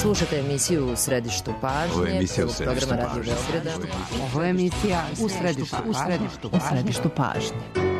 Slušate emisiju U središtu pažnje, programa Radio Beograda. Ovo je emisija U središtu pažnje.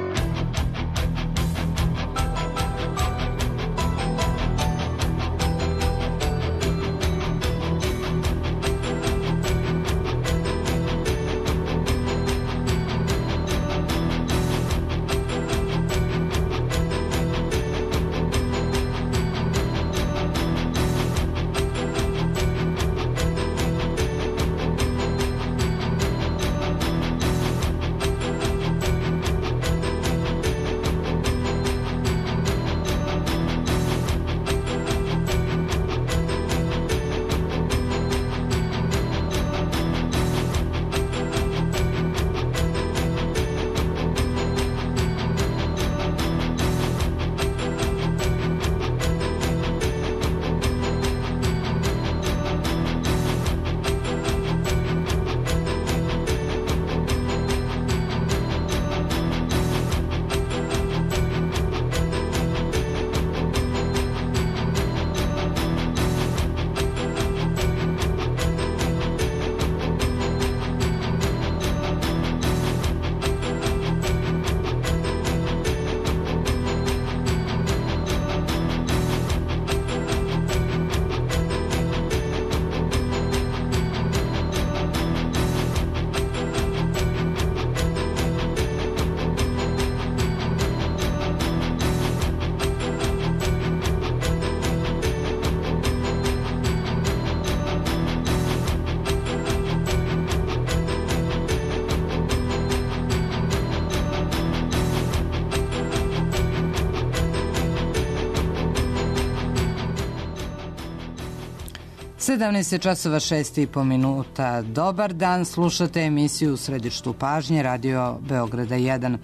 časova 6:30. Dobar dan, slušate emisiju U središtu pažnje, Radio Beograda 1.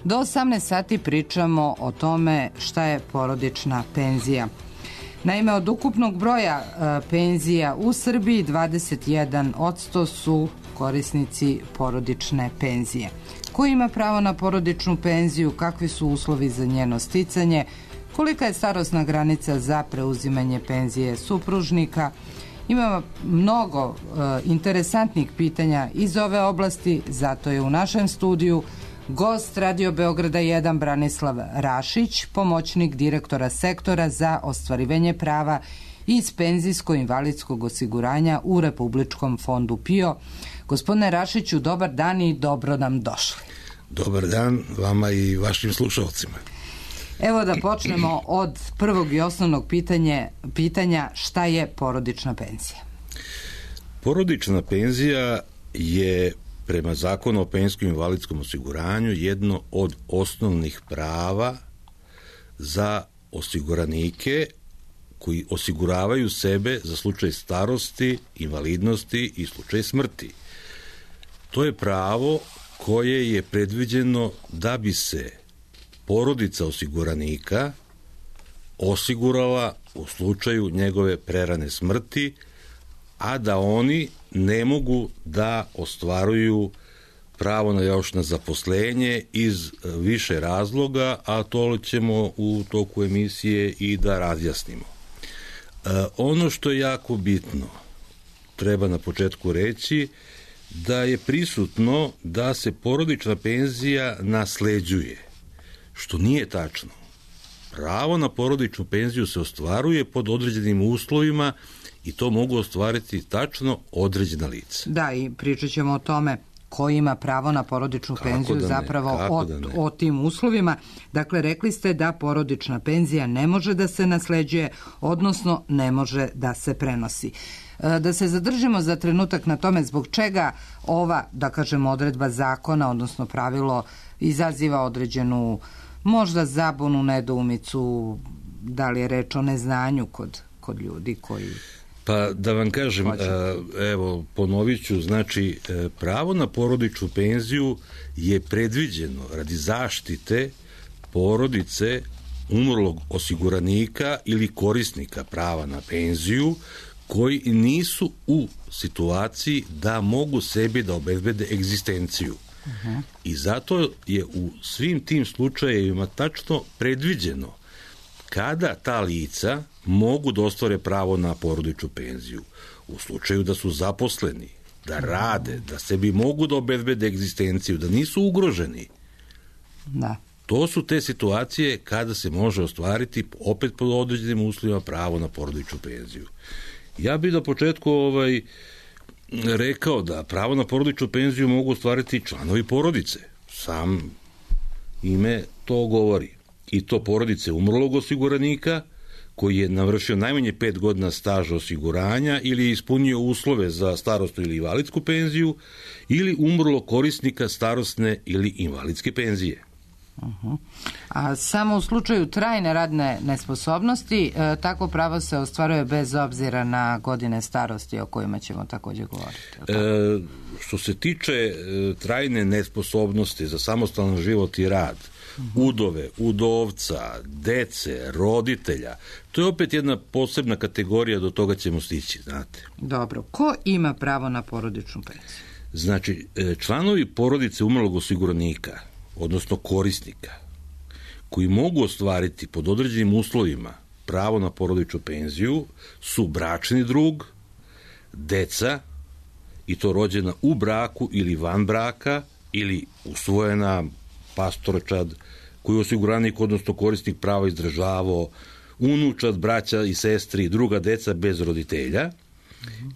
Do 18 sati pričamo o tome šta je porodična penzija. Naime, od ukupnog broja penzija u Srbiji 21% su korisnici porodične penzije. Ko ima pravo na porodičnu penziju, kakvi su uslovi za njeno sticanje, kolika je starosna granica za preuzimanje penzije supružnika. Ima mnogo interesantnih pitanja iz ove oblasti, zato je u našem studiju gost Radio Beograda 1 Branislav Rašić, pomoćnik direktora sektora za ostvarivanje prava iz penzijsko-invalidskog osiguranja u Republičkom fondu PIO. Gospodine Rašiću, dobar dan i dobro nam došli. Dobar dan vama i vašim slušalcima. Evo da počnemo od prvog i osnovnog pitanja šta je porodična penzija? Porodična penzija je prema Zakonu o penzijskom i invalidskom osiguranju jedno od osnovnih prava za osiguranike koji osiguravaju sebe za slučaj starosti, invalidnosti i slučaj smrti. To je pravo koje je predviđeno da bi se porodica osiguranika osigurala u slučaju njegove prerane smrti, a da oni ne mogu da ostvaruju pravo na još na zaposlenje iz više razloga, a to ćemo u toku emisije i da razjasnimo. Ono što je jako bitno, treba na početku reći, da je prisutno da se porodična penzija nasleđuje, što nije tačno. Pravo na porodičnu penziju se ostvaruje pod određenim uslovima i to mogu ostvariti tačno određena lica. Da, i pričat ćemo o tome ko ima pravo na porodičnu penziju zapravo o tim uslovima. Dakle, rekli ste da porodična penzija ne može da se nasleđuje, odnosno ne može da se prenosi. Da se zadržimo za trenutak na tome zbog čega ova, da kažemo, odredba zakona, odnosno pravilo, izaziva određenu možda zabunu, nedoumicu, da li je reč o neznanju kod ljudi koji... Pa da vam kažem, evo ponovit ću, znači pravo na porodičnu penziju je predviđeno radi zaštite porodice umrlog osiguranika ili korisnika prava na penziju koji nisu u situaciji da mogu sebi da obezbede egzistenciju. I zato je u svim tim slučajevima tačno predviđeno kada ta lica mogu da ostvare pravo na porodičnu penziju u slučaju da su zaposleni, da rade, da sebi mogu da obezbede egzistenciju, da nisu ugroženi. Da. To su te situacije kada se može ostvariti opet pod određenim uslovima pravo na porodičnu penziju. Ja bih na početku rekao da pravo na porodičnu penziju mogu ostvariti članovi porodice. Sam ime to govori. I to porodice umrlog osiguranika koji je navršio najmanje 5 godina staža osiguranja ili je ispunio uslove za starosnu ili invalidsku penziju ili umrlog korisnika starosne ili invalidske penzije. A samo u slučaju trajne radne nesposobnosti takvo pravo se ostvaruje bez obzira na godine starosti o kojima ćemo također govoriti. Što se tiče trajne nesposobnosti za samostalan život i rad, udove, udovca, dece, roditelja, to je opet jedna posebna kategorija, do toga ćemo stići, znate. Dobro, ko ima pravo na porodičnu penziju? Znači, članovi porodice umrlog osiguranika, odnosno korisnika, koji mogu ostvariti pod određenim uslovima pravo na porodičnu penziju, su bračni drug, deca, i to rođena u braku ili van braka, ili usvojena pastorčad, koji je osiguranik, odnosno korisnik prava izdržavao, unučad, braća i sestri i druga deca bez roditelja,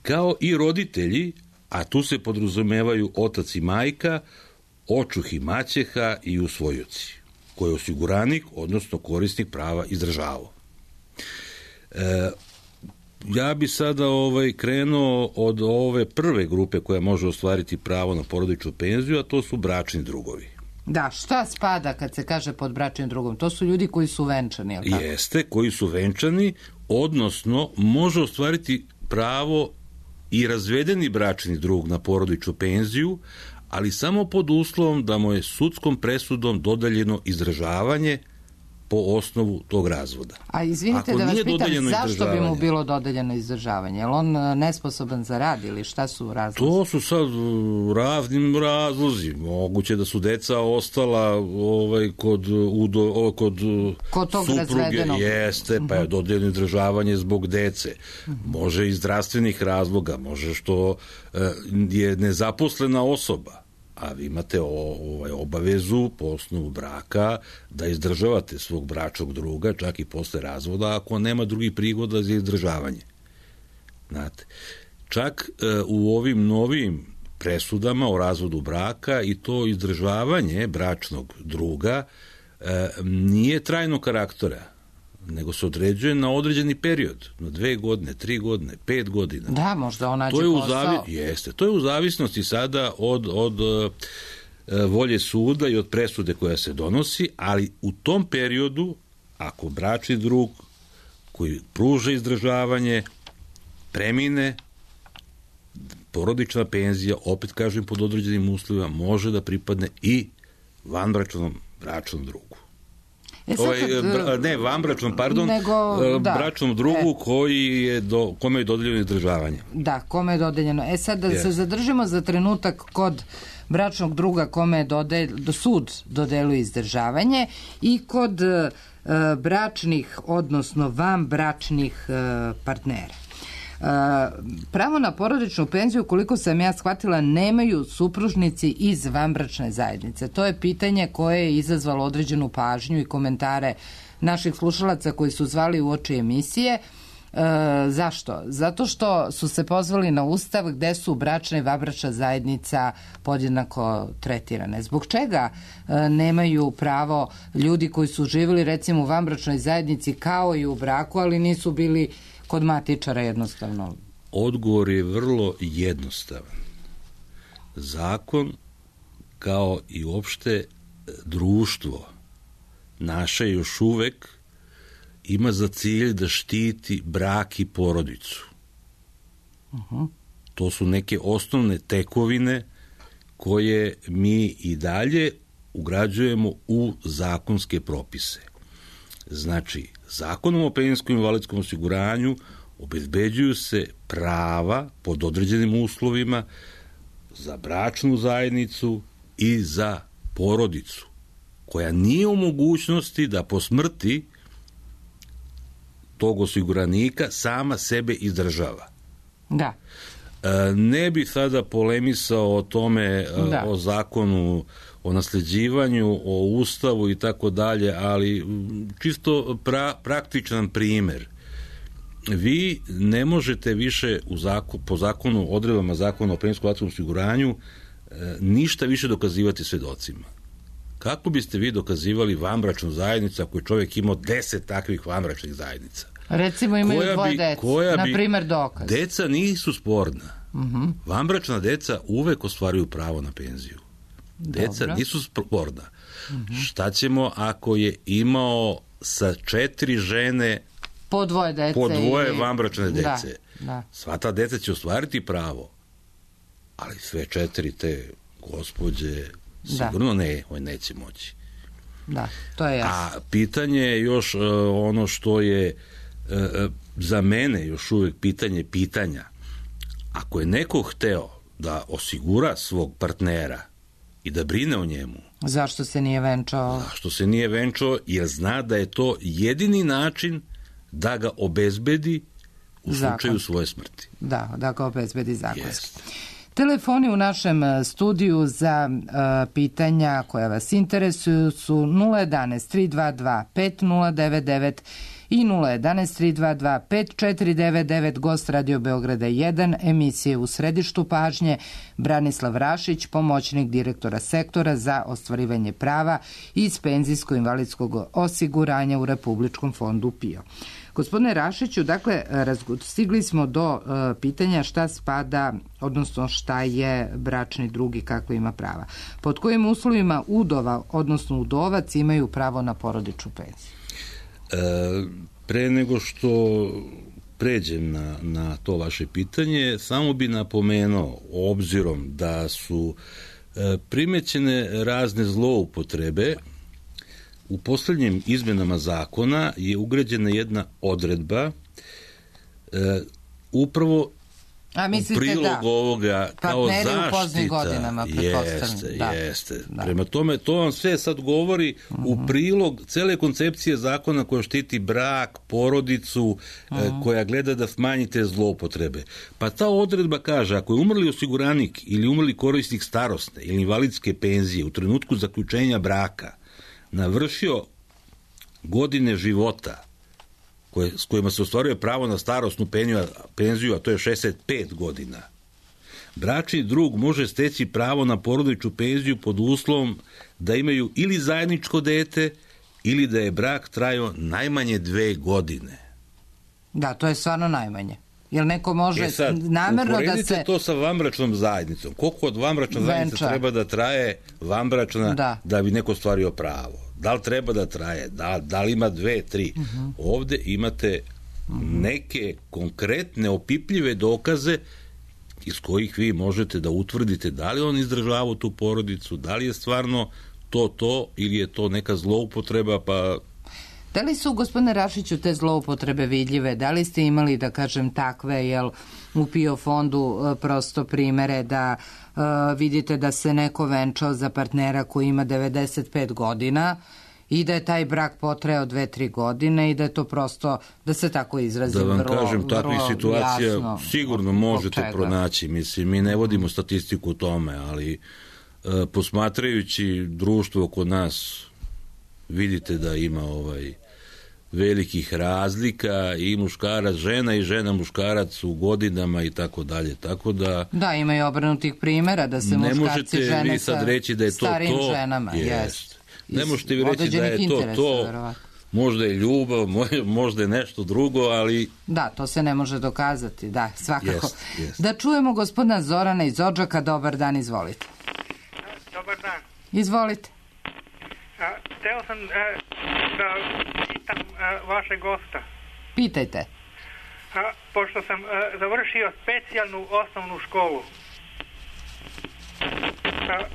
kao i roditelji, a tu se podrazumevaju otac i majka, očuh i maćeha i usvojoci, koji je osiguranik, odnosno korisnik prava izdržavao. Ja bi sada krenuo od ove prve grupe koja može ostvariti pravo na porodičnu penziju, a to su bračni drugovi. Da, šta spada kad se kaže pod bračnim drugom? To su ljudi koji su venčani, jel tako? Jeste, koji su venčani, odnosno može ostvariti pravo i razvedeni bračni drug na porodičnu penziju, ali samo pod uslovom da mu je sudskom presudom dodeljeno izdržavanje po osnovu tog razvoda. A izvinite da vas pitam, zašto bi mu bilo dodeljeno izdržavanje? Je li on nesposoban za rad ili šta su razlozi? To su sad raznim razlozi. Moguće da su deca ostala kod tog supruge. razvedenog. Jeste, pa je dodeljeno izdržavanje zbog dece. Može iz zdravstvenih razloga, može što je nezaposlena osoba. A vi imate obavezu po osnovu braka da izdržavate svog bračnog druga, čak i posle razvoda, ako nema drugih prihoda za izdržavanje. Znate, čak u ovim novim presudama o razvodu braka i to izdržavanje bračnog druga nije trajnog karaktera, nego se određuje na određeni period, na 2 godine, 3 godine, 5 godina. Da, možda on nađe posao. Jeste, to je u zavisnosti sada od volje suda i od presude koja se donosi, ali u tom periodu, ako bračni drug koji pruža izdržavanje premine, porodična penzija, opet kažem pod određenim uslovima, može može i vanbračnom bračnom drugu. Bračnom drugu kome je dodeljeno izdržavanje. Da, kome je dodeljeno. Sad da se zadržimo za trenutak kod bračnog druga kome je sud dodeluje izdržavanje i kod bračnih, odnosno vanbračnih partnera. Pravo na porodičnu penziju, koliko sam ja shvatila, nemaju supružnici iz vanbračne zajednice. To je pitanje koje je izazvalo određenu pažnju i komentare naših slušalaca koji su zvali uoči emisije. Zašto? Zato što su se pozvali na Ustav gde su bračna i vanbračna zajednica podjednako tretirane. Zbog čega nemaju pravo ljudi koji su živjeli recimo u vanbračnoj zajednici kao i u braku, ali nisu bili kod matičara jednostavno? Odgovor je vrlo jednostavan. Zakon, kao i uopšte društvo naše još uvek ima za cilj da štiti brak i porodicu. To su neke osnovne tekovine koje mi i dalje ugrađujemo u zakonske propise. Znači, Zakonom o penzijskom i invalidskom osiguranju obezbeđuju se prava pod određenim uslovima za bračnu zajednicu i za porodicu, koja nije u mogućnosti da po smrti tog osiguranika sama sebe izdržava. Da. Ne bih sada polemisao o tome, o zakonu, o nasljeđivanju, o ustavu i tako dalje, ali čisto praktičan primjer. Vi ne možete više po zakonu, odredbama zakona o penzijskom osiguranju ništa više dokazivati svjedocima. Kako biste vi dokazivali vanbračnu zajednicu ako je čovjek imao 10 takvih vanbračnih zajednica? Recimo imaju dvoje dece, na primjer dokaz. Deca nisu sporna. Vanbračna deca uvek ostvaruju pravo na penziju. Deca nisu sporna. Šta ćemo ako je imao sa 4 žene po dvoje dece, po dvoje vanbračne dece? Da. Sva ta deca će ostvariti pravo, ali sve 4 te gospođe sigurno neće moći. Da, to je jasno. A pitanje je još ono što je za mene još uvijek pitanja. Ako je neko hteo da osigura svog partnera i da brine o njemu, zašto se nije venčao? Zašto se nije venčao? Jer zna da je to jedini način da ga obezbedi u slučaju svoje smrti. Da ga obezbedi zakonski. Telefoni u našem studiju za pitanja koja vas interesuju su 011 322 5099 i 011 322 5499. Gost Radio Beograda 1, emisije U središtu pažnje, Branislav Rašić, pomoćnik direktora sektora za ostvarivanje prava iz penzijsko-invalidskog osiguranja u Republičkom fondu PIO. Gospodine Rašiću, dakle, stigli smo do pitanja šta spada, odnosno šta je bračni drug i kakve ima prava. Pod kojim uslovima udova, odnosno udovac, imaju pravo na porodičnu penziju? Pre nego što pređem na to vaše pitanje, samo bi napomenuo, obzirom da su primećene razne zloupotrebe, u posljednjim izmenama zakona je ugrađena jedna odredba upravo u prilog ovoga kao zaštita. Jeste. Prema tome, to vam sve sad govori u prilog cele koncepcije zakona koja štiti brak, porodicu, koja gleda da smanjite zloupotrebe. Pa ta odredba kaže, ako je umrli osiguranik ili umrli korisnik starosne ili invalidske penzije u trenutku zaključenja braka navršio godine života s kojima se ostvaruje pravo na starosnu penziju, a to je 65 godina, bračni drug može steći pravo na porodičnu penziju pod uslovom da imaju ili zajedničko dete ili da je brak trajao najmanje 2 godine. Da, to je stvarno najmanje. Jer neko može namjerno da se... Uporedite to sa vanbračnom zajednicom. Koliko od vanbračna zajednica treba da traje vanbračna da bi neko ostvario pravo? Da li treba da traje? Da li ima 2, 3? Ovde imate neke konkretne, opipljive dokaze iz kojih vi možete da utvrdite da li on izdržavao tu porodicu, da li je stvarno to ili je to neka zloupotreba, pa... Da li su, gospodine Rašiću, te zloupotrebe vidljive? Da li ste imali, da kažem, takve, jel, u PIO fondu prosto primere da vidite da se neko venčao za partnera koji ima 95 godina i da je taj brak potrajao 2-3 godine i da je to prosto, da se tako izrazim, vrlo jasno? Da vam kažem, takvih situacija sigurno možete pronaći. Mislim, mi ne vodimo statistiku o tome, ali posmatrajući društvo oko nas, vidite da ima velikih razlika i muškarac žena i žena muškarac u godinama i tako dalje, tako da... Da, ima i obrnutih primjera da se muškarci žene sa starijim ženama. Ne možete vi reći da je to, možda je ljubav, možda je nešto drugo, ali... Da, to se ne može dokazati, da, svakako. Da čujemo gospodina Zorana iz Odžaka. Dobar dan, izvolite. Dobar dan. Izvolite. Hteo sam da pitam vašeg gosta. Pitajte. Pošto sam završio specijalnu osnovnu školu.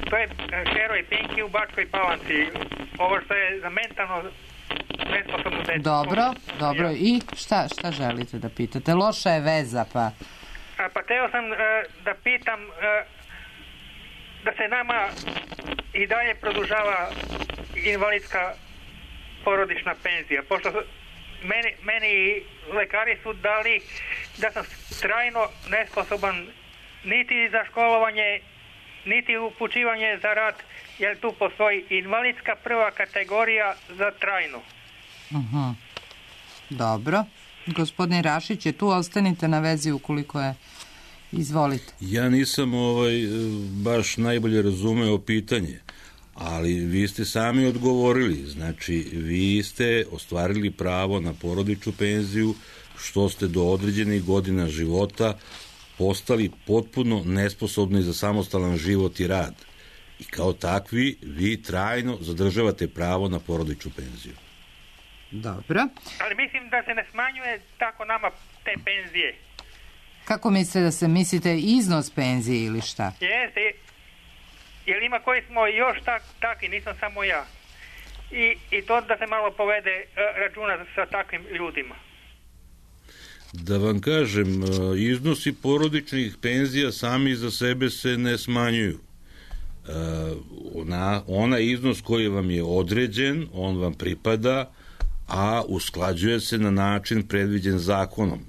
To je heroj Pinki u Bačkoj Palanci. Ovo što je za mentalno nesposobno dete. Dobro. I šta želite da pitate? Loša je veza, pa... Pa hteo sam da pitam da se nama i dalje produžava invalidska porodična penzija. Pošto meni lekari su dali da sam trajno nesposoban niti za školovanje, niti upućivanje za rad, jer tu postoji invalidska prva kategorija za trajnu. Dobro. Gospodin Rašić je tu, ostanite na vezi ukoliko je. Izvolite. Ja nisam baš najbolje razumeo pitanje, ali vi ste sami odgovorili. Znači, vi ste ostvarili pravo na porodičnu penziju što ste do određenih godina života postali potpuno nesposobni za samostalan život i rad. I kao takvi, vi trajno zadržavate pravo na porodičnu penziju. Dobro. Ali mislim da se ne smanjuje tako nama te penzije. Kako mislite iznos penzije ili šta? Jeste, jer ima koji smo još takvi, nisam samo ja. I to da se malo povede računa sa takvim ljudima. Da vam kažem, iznosi porodičnih penzija sami za sebe se ne smanjuju. Onaj iznos koji vam je određen, on vam pripada, a usklađuje se na način predviđen zakonom.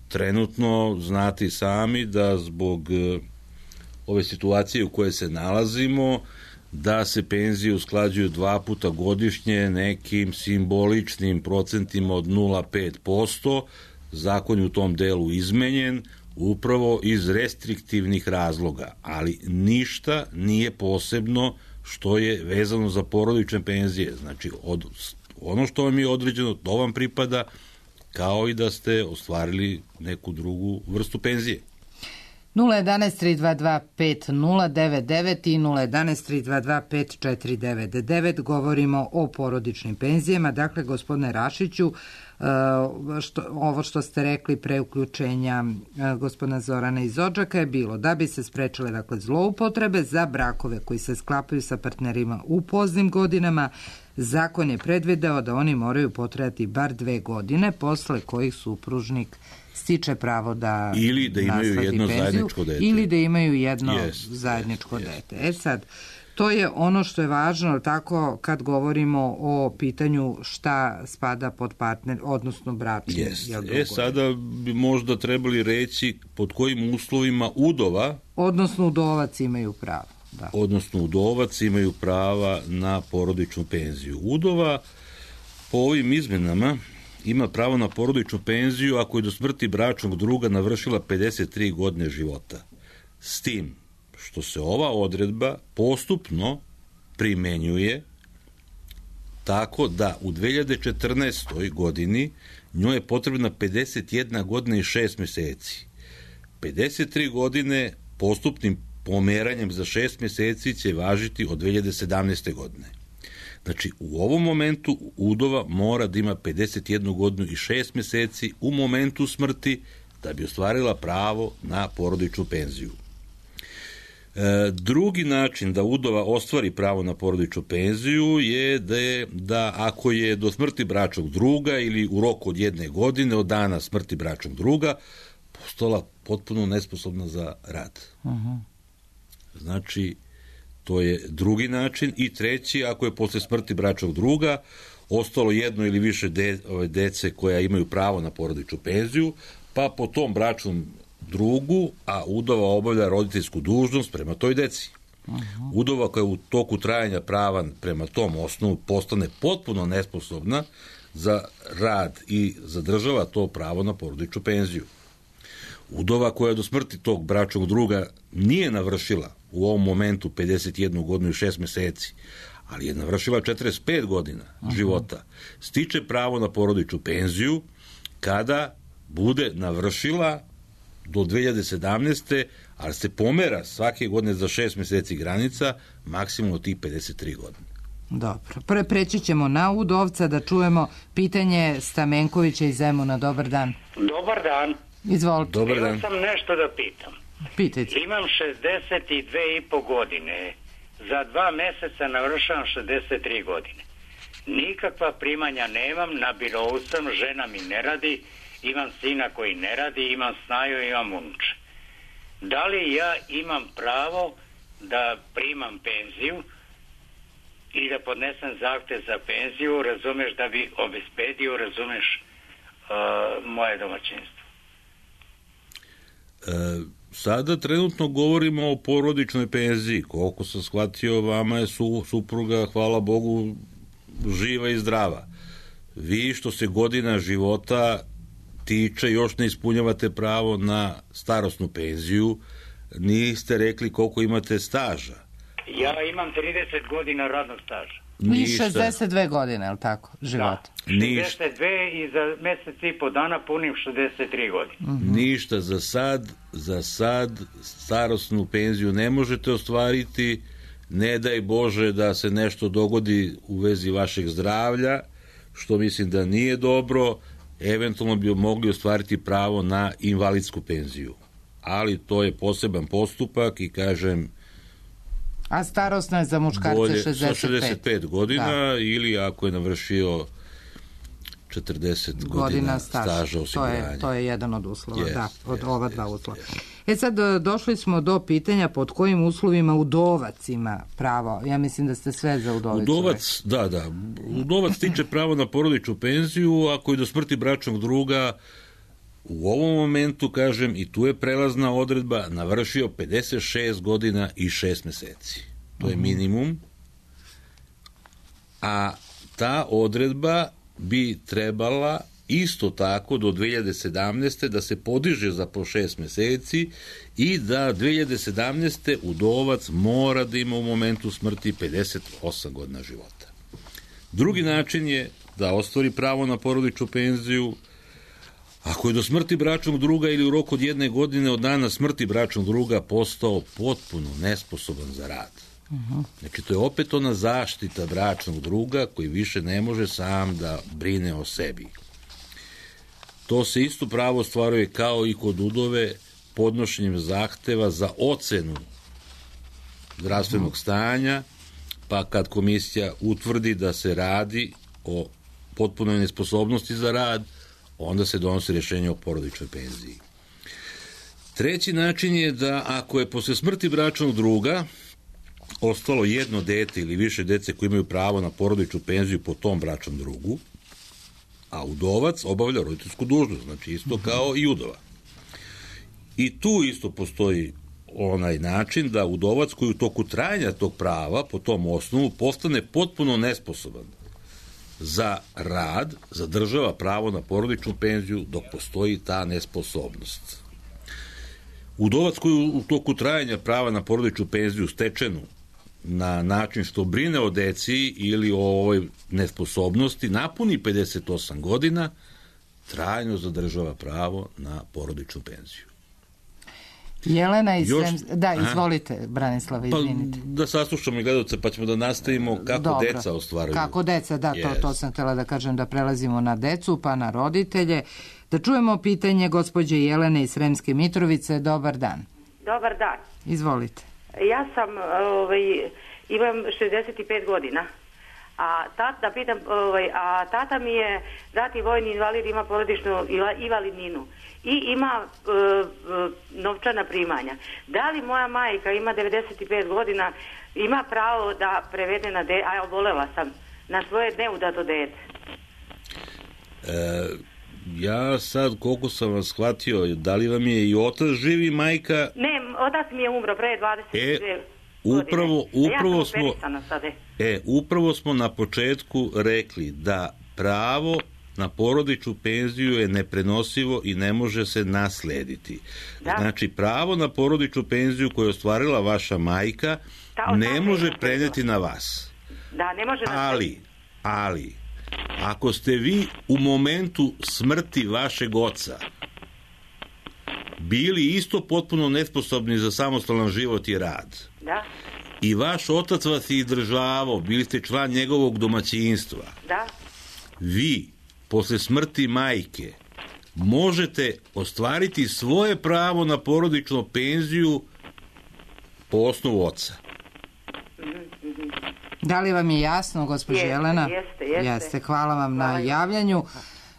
Trenutno znate i sami da zbog ove situacije u kojoj se nalazimo, da se penzije usklađuju 2 puta godišnje nekim simboličnim procentima od 0,5%. Zakon je u tom delu izmenjen upravo iz restriktivnih razloga, ali ništa nije posebno što je vezano za porodične penzije. Znači, ono što vam je određeno, to vam pripada, kao i da ste ostvarili neku drugu vrstu penzije. 011-322-5099 i 011-322-5499. Govorimo o porodičnim penzijama. Dakle, gospodine Rašiću, ovo što ste rekli pre uključenja gospodina Zorana iz Odžaka je bilo da bi se sprečile zloupotrebe za brakove koji se sklapaju sa partnerima u poznim godinama. Zakon je predvideo da oni moraju potrajati bar 2 godine, posle kojih supružnik stiče pravo da ili da imaju jedno penziju, zajedničko dete. Ili da imaju jedno zajedničko dete. Sad, to je ono što je važno, tako kad govorimo o pitanju šta spada pod partner, odnosno bračni. Sada bi možda trebali reći pod kojim uslovima udova, odnosno udovac imaju pravo. Da. Odnosno udovac imaju prava na porodičnu penziju. Udova po ovim izmenama ima pravo na porodičnu penziju ako je do smrti bračnog druga navršila 53 godine života. S tim što se ova odredba postupno primenjuje tako da u 2014. godini njoj je potrebna 51 godina i 6 meseci. 53 godine postupnim pomeranjem za 6 meseci će važiti od 2017. godine. Znači, u ovom momentu udova mora da ima 51 godinu i 6 meseci u momentu smrti da bi ostvarila pravo na porodičnu penziju. Drugi način da udova ostvari pravo na porodičnu penziju je da ako je do smrti bračnog druga ili u roku od 1 godine od dana smrti bračnog druga postala potpuno nesposobna za rad. Znači, to je drugi način. I treći, ako je posle smrti bračnog druga ostalo jedno ili više dece koja imaju pravo na porodičnu penziju, pa po tom bračnom drugu, a udova obavlja roditeljsku dužnost prema toj deci. Udova koja u toku trajanja prava prema tom osnovu postane potpuno nesposobna za rad i zadržava to pravo na porodičnu penziju. Udova koja do smrti tog bračnog druga nije navršila u ovom momentu 51 godinu i 6 meseci, ali je navršila 45 godina života, stiče pravo na porodičnu penziju kada bude navršila do 2017. ali se pomera svake godine za 6 meseci granica, maksimum od tih 53 godine. Dobro. Preći ćemo na udovca da čujemo pitanje Stamenkovića iz Zemuna. Dobar dan. Dobar dan. Izvolite. Dobar dan. Imam sam nešto da pitam. Pitajte. Imam 62,5 godine. Za 2 meseca navršavam 63 godine. Nikakva primanja nemam, na birou sam, žena mi ne radi, imam sina koji ne radi, imam snaju, imam unuče. Da li ja imam pravo da primam penziju i da podnesem zahtev za penziju, razumeš, da bi obezbedio, razumeš, moje domaćinstvo. Sada trenutno govorimo o porodičnoj penziji. Koliko sam shvatio, vama je supruga, hvala Bogu, živa i zdrava. Vi što se godina života tiče još ne ispunjavate pravo na starosnu penziju. Niste rekli koliko imate staža. Ja imam 30 godina radnog staža. I 62 godine, je li tako, života? Da, 62 i za mesec i po dana punim 63 godine. Ništa, za sad starosnu penziju ne možete ostvariti, ne daj Bože da se nešto dogodi u vezi vašeg zdravlja, što mislim da nije dobro, eventualno bi mogli ostvariti pravo na invalidsku penziju. Ali to je poseban postupak i kažem... A starosna je za muškarce 65 godina ili ako je navršio 40 godina staža osiguranja. To je jedan od uslova, od ova dva uslova. Sad došli smo do pitanja pod kojim uslovima udovac ima pravo. Ja mislim da ste sve za udovicu. Udovac stiče pravo na porodičnu penziju ako je do smrti bračnog druga u ovom momentu, kažem, i tu je prelazna odredba, navršio 56 godina i 6 meseci. To je minimum. A ta odredba bi trebala isto tako do 2017. da se podiže za po 6 meseci i da 2017. udovac mora da ima u momentu smrti 58 godina života. Drugi način je da ostvari pravo na porodičnu penziju ako je do smrti bračnog druga ili u roku od 1 godine od dana smrti bračnog druga postao potpuno nesposoban za rad. Znači, to je opet ona zaštita bračnog druga koji više ne može sam da brine o sebi. To se isto pravo ostvaruje kao i kod udove podnošenjem zahteva za ocenu zdravstvenog stanja, pa kad komisija utvrdi da se radi o potpunoj nesposobnosti za rad, onda se donosi rješenje o porodičnoj penziji. Treći način je da ako je posle smrti bračnog druga ostalo jedno dete ili više dece koji imaju pravo na porodičnu penziju po tom bračnom drugu, a udovac obavlja roditeljsku dužnost, znači isto kao i udova. I tu isto postoji onaj način da udovac koji u toku trajanja tog prava po tom osnovu postane potpuno nesposoban za rad, zadržava pravo na porodičnu penziju dok postoji ta nesposobnost. Udovac koji u toku trajanja prava na porodičnu penziju stečenu na način što brine o deci ili o ovoj nesposobnosti napuni 58 godina, trajno zadržava pravo na porodičnu penziju. Jelena iz izvolite, Branislav, izvinite. Da saslušamo i gledalce, pa ćemo da nastavimo kako deca ostvaruju. Kako deca, to sam htjela da kažem, da prelazimo na decu, pa na roditelje. Da čujemo pitanje gospođe Jelene iz Sremske Mitrovice. Dobar dan. Dobar dan. Izvolite. Ja sam, imam 65 godina. A tata mi je dati vojni invalid, ima porodičnu invalidninu i ima novčana primanja. Da li moja majka ima 95 godina, ima pravo da prevede obolela sam, na svoje neudato dete? Ja sad, koliko sam vas shvatio, da li vam je i otac živi, majka? Ne, otac mi je umro pre 22 Upravo smo na početku rekli da pravo na porodičnu penziju je neprenosivo i ne može se naslediti. Znači, pravo na porodičnu penziju koju je ostvarila vaša majka ne može preneti na vas. Da, ne može. Ali, ako ste vi u momentu smrti vašeg oca bili isto potpuno nesposobni za samostalan život i rad, i vaš otac vas je izdržavao, bili ste član njegovog domaćinstva, vi posle smrti majke možete ostvariti svoje pravo na porodičnu penziju po osnovu oca. Da li vam je jasno, gospođo Jelena? Jeste. Hvala vam na javljanju.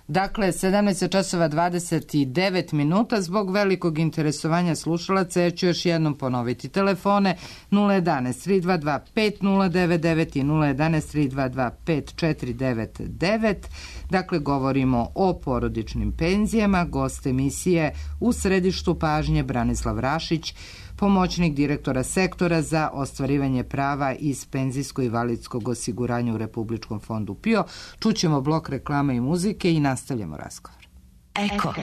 Dakle, 17:29 minuta. Zbog velikog interesovanja slušalaca, ja ću još jednom ponoviti telefone 011-322-5099 i 011-322-5499. Dakle, govorimo o porodičnim penzijama. Gost emisije u središtu pažnje Branislav Rašić, pomoćnik direktora sektora za ostvarivanje prava iz penzijsko-invalidskog osiguranja u Republičkom fondu PIO. Čućemo blok reklama i muzike i nastavljamo razgovor. Eko.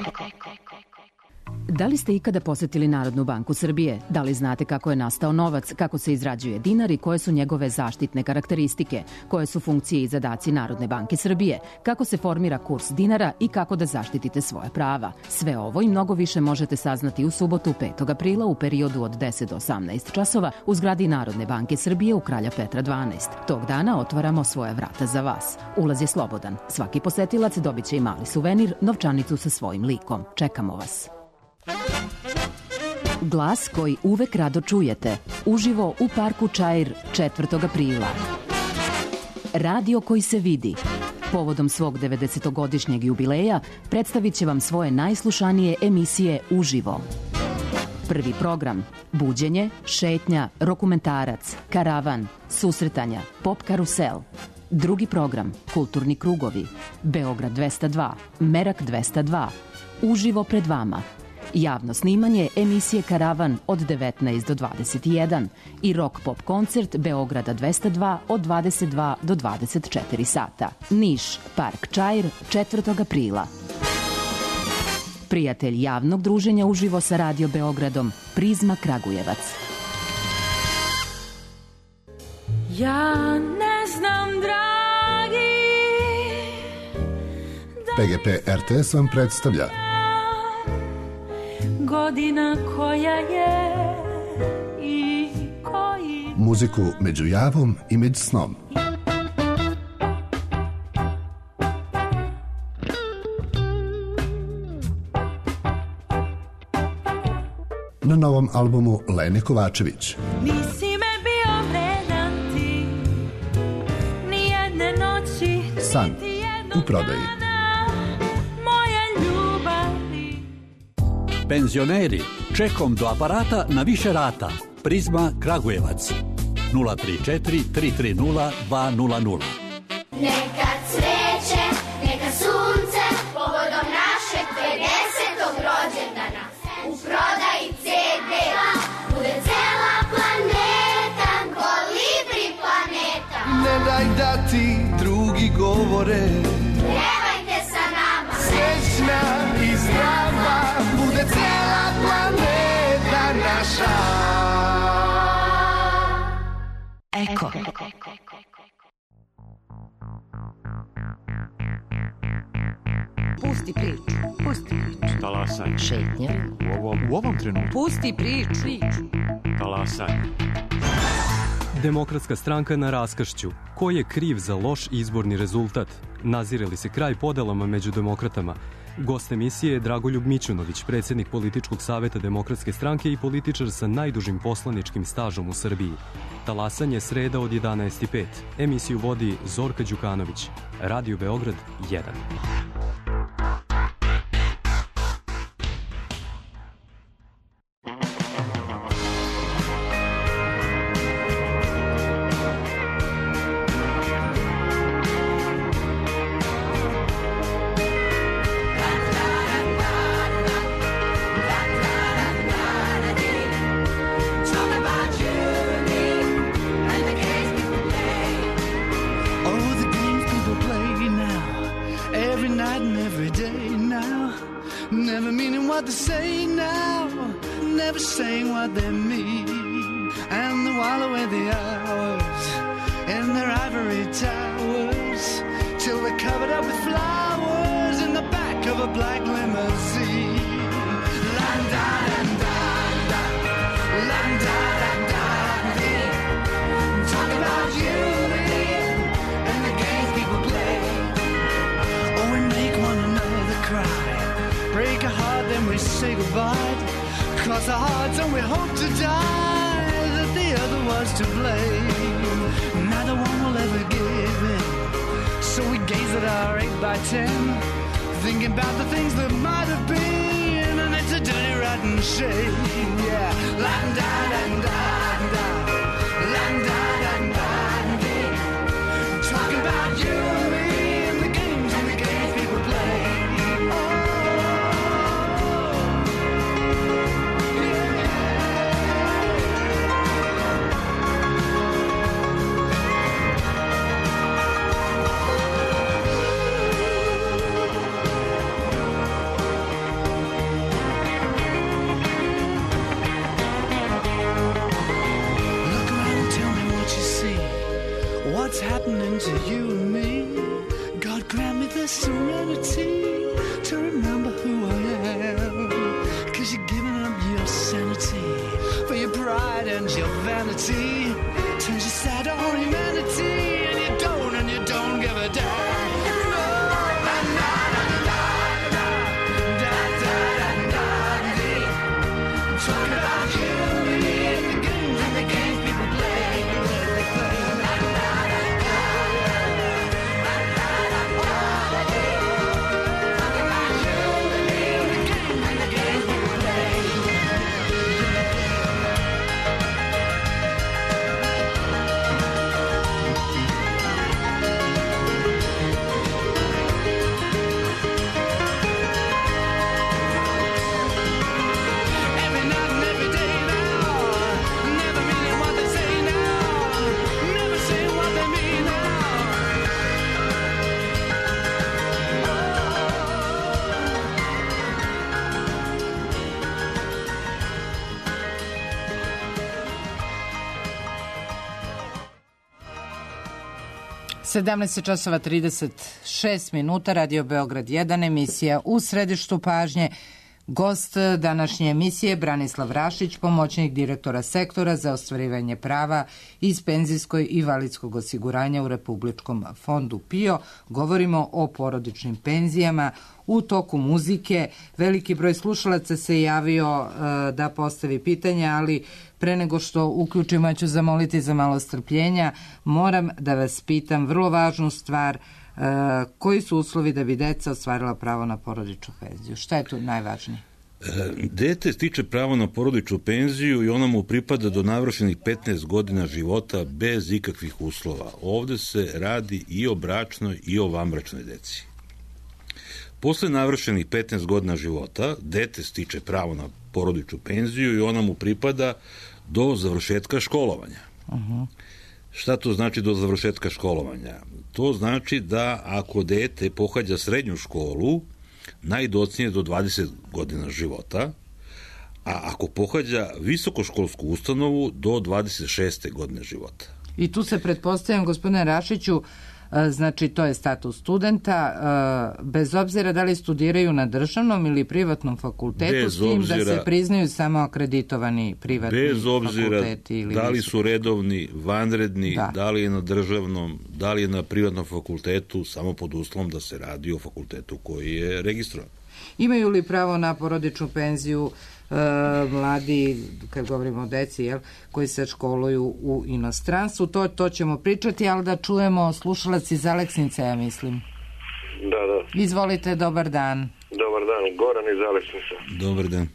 Da li ste ikada posetili Narodnu banku Srbije? Da li znate kako je nastao novac, kako se izrađuje dinar i koje su njegove zaštitne karakteristike? Koje su funkcije i zadaci Narodne banke Srbije? Kako se formira kurs dinara i kako da zaštitite svoja prava? Sve ovo i mnogo više možete saznati u subotu 5. aprila u periodu od 10 do 18 časova u zgradi Narodne banke Srbije u Kralja Petra 12. Tog dana otvaramo svoja vrata za vas. Ulaz je slobodan. Svaki posetilac dobit će i mali suvenir, novčanicu sa svojim likom. Čekamo vas. Glas koji uvek rado čujete. Uživo u Parku Čair 4. aprila. Radio koji se vidi. Povodom svog 90-godišnjeg jubileja predstavit će vam svoje najslušanije emisije uživo. Prvi program: buđenje, šetnja, rokumentarac, karavan, susretanja, pop karusel. Drugi program: kulturni krugovi, Beograd 202, Merak 202. Uživo pred vama. Javno snimanje emisije Karavan od 19 do 21 i rock pop koncert Beograda 202 od 22 do 24 sata. Niš, Park Čair, 4. aprila. Prijatelj javnog druženja uživo sa Radio Beogradom, Prizma Kragujevac. Ja ne znam, dragi, PGP RTS vam predstavlja godina koja je i koji... muziku među javom i među snom. Na novom albumu Lene Kovačević. Nisi me bio vredan ti, ni jedne noći, San u prodaji. Penzioneri, čekom do aparata na više rata. Prizma Kragujevac 034 330 200. Neka cveće, neka sunce, povodom našeg 50. rođendana. U prodaji CD bude cela planeta, kolibri planeta. Ne daj da ti drugi govore, pjevajte sa nama. Srećna i zdrava bude cela planeta naša. Eko. Pusti priču. Pusti priču. Talasaj. Šetnja. U ovom trenutku. Pusti priču. Talasaj. Demokratska stranka na raskršću. Ko je kriv za loš izborni rezultat? Nazire li se kraj podelama među demokratama? Gost emisije je Dragoljub Mićunović, predsjednik političkog saveta Demokratske stranke i političar sa najdužim poslaničkim stažom u Srbiji. Talasanje sreda od 11:05. Emisiju vodi Zorka Đukanović. Radio Beograd 1. what they say now, never saying what they mean, and they wallow away the hours in their ivory towers till they're covered up with flowers in the back of a black limousine. Talk about you and the games people play. Oh, we make one another cry, break a heart, then we say goodbye, cross our hearts and we hope to die that the other was to blame. Neither one will ever give in, so we gaze at our 8x10, thinking about the things that might have been, and it's a dirty rotten shame. Yeah, la-da-da-da-da, la-da-da-da-da. Talk about you and me and the games and the games. to remember who I am. 'Cause you're giving up your sanity for your pride and your vanity. Turns your sad on humanity, and you don't give a damn. Talking about you and me and the games people play. časova 36 minuta, Radio Beograd 1, emisija U središtu pažnje. Gost današnje emisije Branislav Rašić, pomoćnik direktora sektora za ostvarivanje prava iz penzijskog i invalidskog osiguranja u Republičkom fondu PIO. Govorimo o porodičnim penzijama. U toku muzike veliki broj slušalaca se javio da postavi pitanja, ali pre nego što uključimo, ću zamoliti za malo strpljenja. Moram da vas pitam vrlo važnu stvar. Koji su uslovi da bi deca ostvarila pravo na porodičnu penziju? Šta je tu najvažnije? Dete stiče pravo na porodičnu penziju i ona mu pripada do navršenih 15 godina života bez ikakvih uslova. Ovde se radi i o bračnoj i o vanbračnoj deci. Posle navršenih 15 godina života, dete stiče pravo na porodičnu penziju i ona mu pripada do završetka školovanja. Šta to znači do završetka školovanja? To znači da ako dete pohađa srednju školu, najdocnije do 20 godina života, a ako pohađa visokoškolsku ustanovu, do 26. godine života. I tu se pretpostavljam, gospodine Rašiću, znači to je status studenta, bez obzira da li studiraju na državnom ili privatnom fakultetu, s tim da se priznaju samo akreditovani privatni fakulteti. Bez obzira da li su redovni, vanredni, da li je na državnom, da li je na privatnom fakultetu, samo pod uslovom da se radi o fakultetu koji je registrovan. Imaju li pravo na porodičnu penziju mladi, kad govorimo o deci, koji se školuju u inostranstvu? To ćemo pričati, ali da čujemo slušalac iz Aleksnice, ja mislim. Da. Izvolite, dobar dan. Dobar dan, Goran iz Aleksnice. Dobar dan.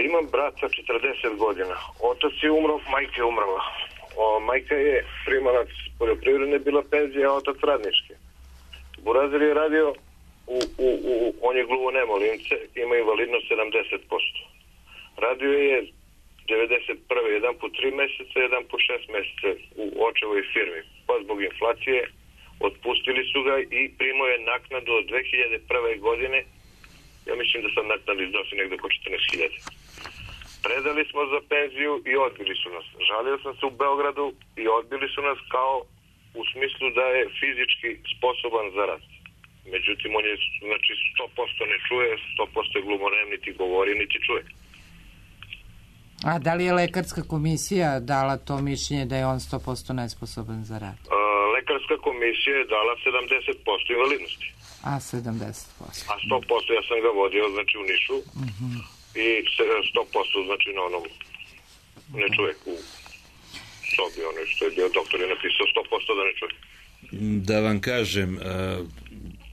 Imam brata 40 godina. Otac je umro, majka je umrla. Majka je primalac poljoprivredne, bila penzija, a otac radnički. Burazir je radio on je gluvonemo limce, ima invalidnost 70%. Radio je 91. jedan put 3 meseca, jedan put 6 meseca u očevoj firmi. Pa zbog inflacije otpustili su ga i primao je naknadu od 2001. godine. Ja mislim da sam naknadu iznosi negde oko 14.000. Predali smo za penziju i odbili su nas. Žalio sam se u Beogradu i odbili su nas kao u smislu da je fizički sposoban za rad. Međutim, on je, znači, 100% ne čuje, 100% je glumonem, niti govori, niti čuje. A da li je lekarska komisija dala to mišljenje da je on 100% nesposoban za rad? Lekarska komisija je dala 70% invalidnosti. A 70%? A 100% ja sam ga vodio, znači, u Nišu. I 100% znači na onom ne čuje u sobi, ono što je bio doktor je napisao 100% da ne čuje. Da vam kažem,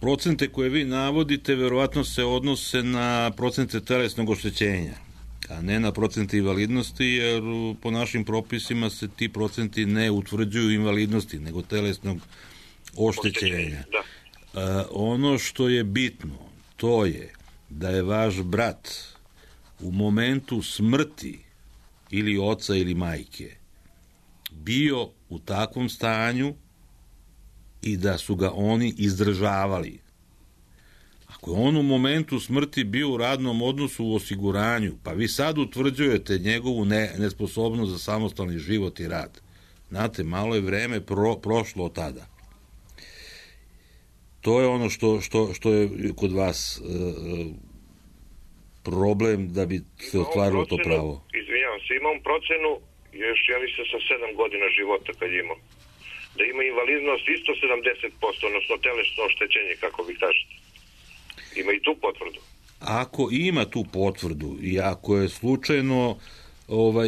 procente koje vi navodite verovatno se odnose na procente telesnog oštećenja, a ne na procente invalidnosti, jer po našim propisima se ti procenti ne utvrđuju invalidnosti, nego telesnog oštećenja. Ono što je bitno, to je da je vaš brat u momentu smrti ili oca ili majke bio u takvom stanju i da su ga oni izdržavali. Ako je on u momentu smrti bio u radnom odnosu u osiguranju, pa vi sad utvrđujete njegovu nesposobnost za samostalni život i rad. znate, malo je vreme prošlo od tada. 100% ne čuje. 100% je To je ono što je kod vas problem da bi se ostvarilo to pravo. Izvinjavam se, imam procenu još, ja mislim, sa 7 godina života kad imam. Da ima invalidnost isto 70%, odnosno telesno oštećenje, kako vi kažete. Ima i tu potvrdu. Ako ima tu potvrdu i ako je slučajno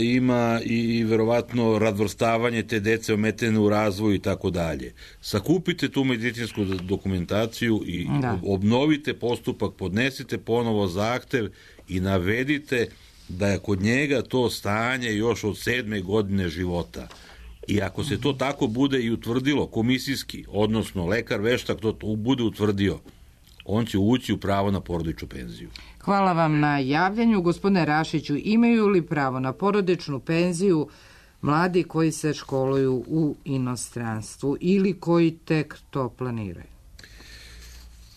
ima i verovatno razvrstavanje te dece ometene u razvoju i tako dalje, sakupite tu medicinsku dokumentaciju i obnovite postupak, podnesite ponovo zahtev i navedite da je kod njega to stanje još od 7. godine života. I ako se to tako bude i utvrdilo komisijski, odnosno lekar veštak to bude utvrdio, on će ući u pravo na porodičnu penziju. Hvala vam na javljanju. Gospodine Rašiću, imaju li pravo na porodičnu penziju mladi koji se školuju u inostranstvu ili koji tek to planiraju?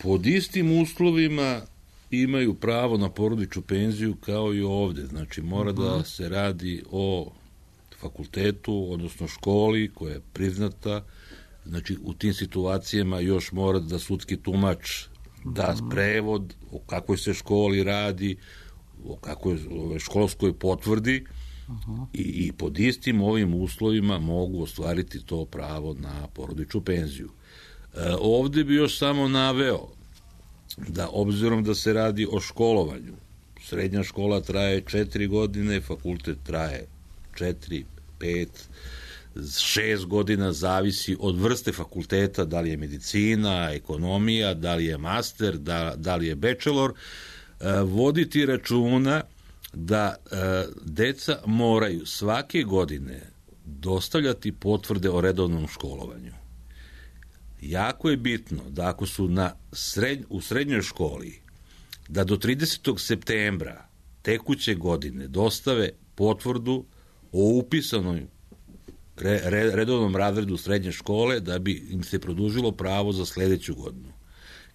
Pod istim uslovima imaju pravo na porodičnu penziju kao i ovde. Znači, mora da se radi o fakultetu, odnosno školi koja je priznata. Znači, u tim situacijama još mora da sudski tumač da prevod o kakvoj se školi radi, o kakvoj školskoj potvrdi i pod istim ovim uslovima mogu ostvariti to pravo na porodičnu penziju. Ovde bi još samo naveo da obzirom da se radi o školovanju, srednja škola traje 4 godine, fakultet traje 4, 5, 6 godina, zavisi od vrste fakulteta, da li je medicina, ekonomija, da li je master, da li je bachelor, voditi računa da deca moraju svake godine dostavljati potvrde o redovnom školovanju. Jako je bitno da ako su u srednjoj školi, da do 30. septembra tekuće godine dostave potvrdu o upisanoj redovnom razredu srednje škole da bi im se produžilo pravo za sledeću godinu.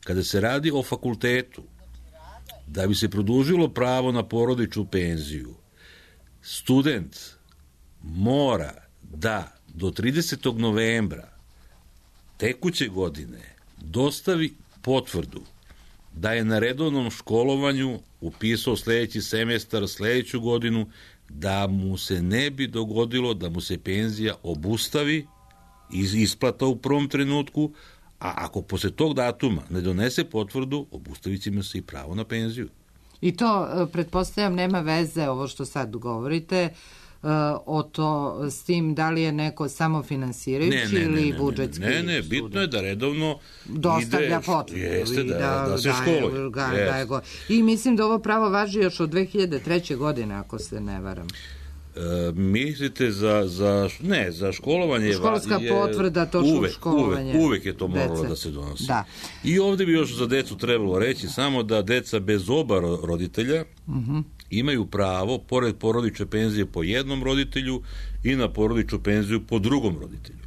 Kada se radi o fakultetu, da bi se produžilo pravo na porodičnu penziju, student mora da do 30. novembra tekuće godine dostavi potvrdu da je na redovnom školovanju upisao sledeći semestar, sledeću godinu, da mu se ne bi dogodilo da mu se penzija obustavi iz isplata u prvom trenutku, a ako posle tog datuma ne donese potvrdu, obustavit će mu se i pravo na penziju. I to, pretpostavljam, nema veze, ovo što sad govorite, s tim da li je neko samofinansirajući ili budžetski. Ne, bitno je da redovno dostavlja potvrdu. Jeste, da se školuje. I mislim da ovo pravo važi još od 2003. godine, ako se ne varam. Mislite za školovanje? Školska potvrda, to školovanje. Uvek je to moralo da se donosi. Da. I ovde bi još za decu trebalo reći samo da deca bez oba roditelja imaju pravo, pored porodične penzije po jednom roditelju i na porodičnu penziju po drugom roditelju.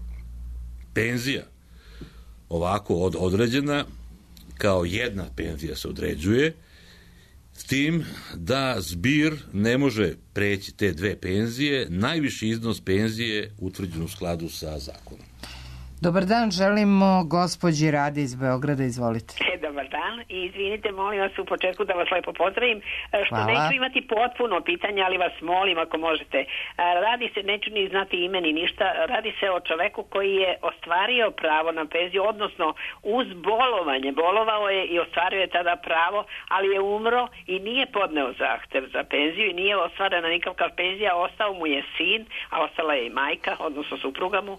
Penzija ovako određena kao jedna penzija se određuje, s tim da zbir ne može preći te dve penzije, najviši iznos penzije utvrđen u skladu sa zakonom. Dobar dan, želimo gospođi Radi iz Beograda, izvolite. Dobar dan i izvinite, molim vas u početku da vas lepo pozdravim, što neću imati potpuno pitanje, ali vas molim ako možete. Radi se, neću ni znati ime ni ništa, radi se o čoveku koji je ostvario pravo na penziju, odnosno uz bolovanje, bolovao je i ostvario je tada pravo, ali je umro i nije podneo zahtev za penziju i nije ostvarena nikakva penzija, ostao mu je sin, a ostala je i majka, odnosno supruga mu.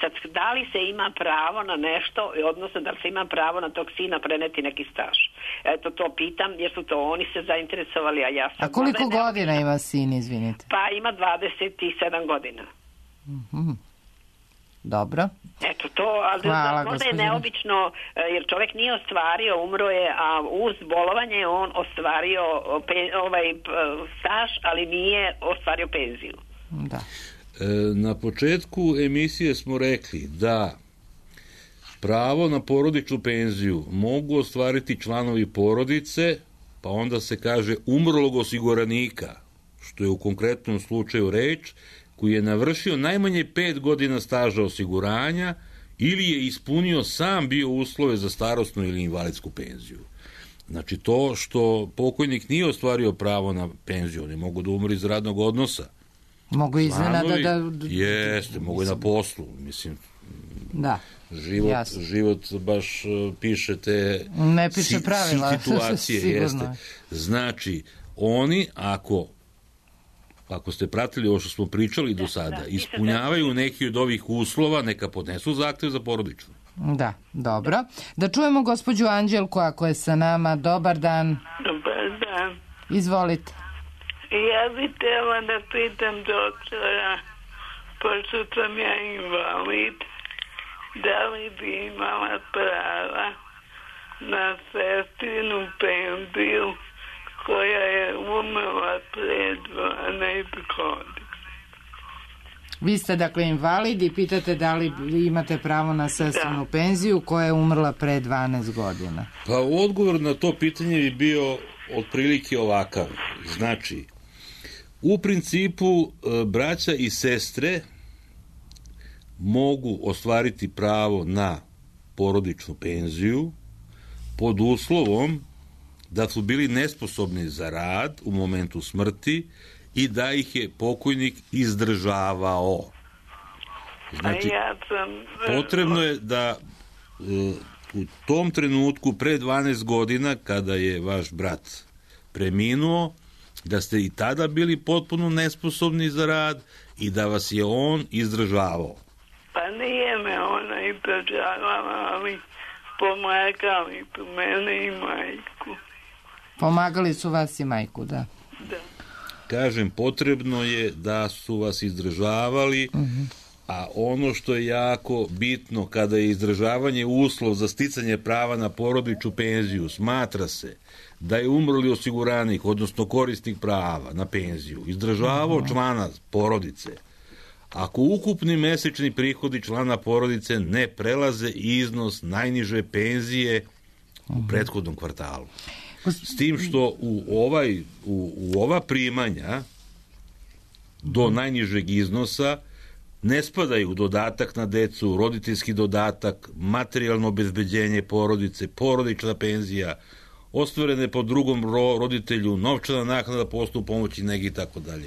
Sad, da li se ima pravo na nešto, odnosno da li se ima pravo na tog sina preneti neki staž? Eto, to pitam, jer su to oni se zainteresovali, a ja sam... A koliko godina ima sin, izvinite? Pa ima 27 godina. Dobro. Eto to, ali možda je neobično, jer čovjek nije ostvario, umro je, a uz bolovanje on ostvario staž, ali nije ostvario penziju. Da. Na početku emisije smo rekli da pravo na porodičnu penziju mogu ostvariti članovi porodice, pa onda se kaže umrlog osiguranika, što je u konkretnom slučaju reč, koji je navršio najmanje 5 godina staža osiguranja ili je ispunio sam bio uslove za starosnu ili invalidsku penziju. Znači to što pokojnik nije ostvario pravo na penziju, oni mogu da umru iz radnog odnosa. Mogu iznenada Jeste, mogu i na poslu, mislim. Da. Život baš piše te ne piše pravila situacije. Jeste. Znači, oni ako ste pratili ovo što smo pričali do sada, ispunjavaju neki od ovih uslova, neka podnesu zahtev za porodičnu. Da, dobro. Da čujemo gospođu Anđelku ako je sa nama. Dobar dan. Dobar dan. Izvolite. Ja bih htjela da pitam doktora, pošto sam ja invalid, da li bi imala prava na sestrinu penziju koja je umrla pred 12 godina. Vi ste dakle invalid i pitate da li imate pravo na sestrinu penziju koja je umrla pre 12 godina. Pa odgovor na to pitanje bi bio otprilike ovakav. Znači, u principu braća i sestre mogu ostvariti pravo na porodičnu penziju pod uslovom da su bili nesposobni za rad u momentu smrti i da ih je pokojnik izdržavao. Znači, potrebno je da u tom trenutku pre 12 godina kada je vaš brat preminuo, da ste i tada bili potpuno nesposobni za rad i da vas je on izdržavao. Pa nije me ona izdržavala, ali pomagali su mene i majku. Pomagali su vas i majku, da. Kažem, potrebno je da su vas izdržavali, a ono što je jako bitno kada je izdržavanje uslov za sticanje prava na porodičnu penziju, smatra se da je umrli osiguranik, odnosno korisnik prava na penziju, izdržavao člana porodice, ako ukupni mesečni prihodi člana porodice ne prelaze iznos najniže penzije u prethodnom kvartalu. S tim što u ova primanja do najnižeg iznosa ne spadaju dodatak na decu, roditeljski dodatak, materijalno obezbeđenje porodice, porodična penzija, ostvarene po drugom roditelju, novčana naknada po osnovu pomoći negi i tako dalje.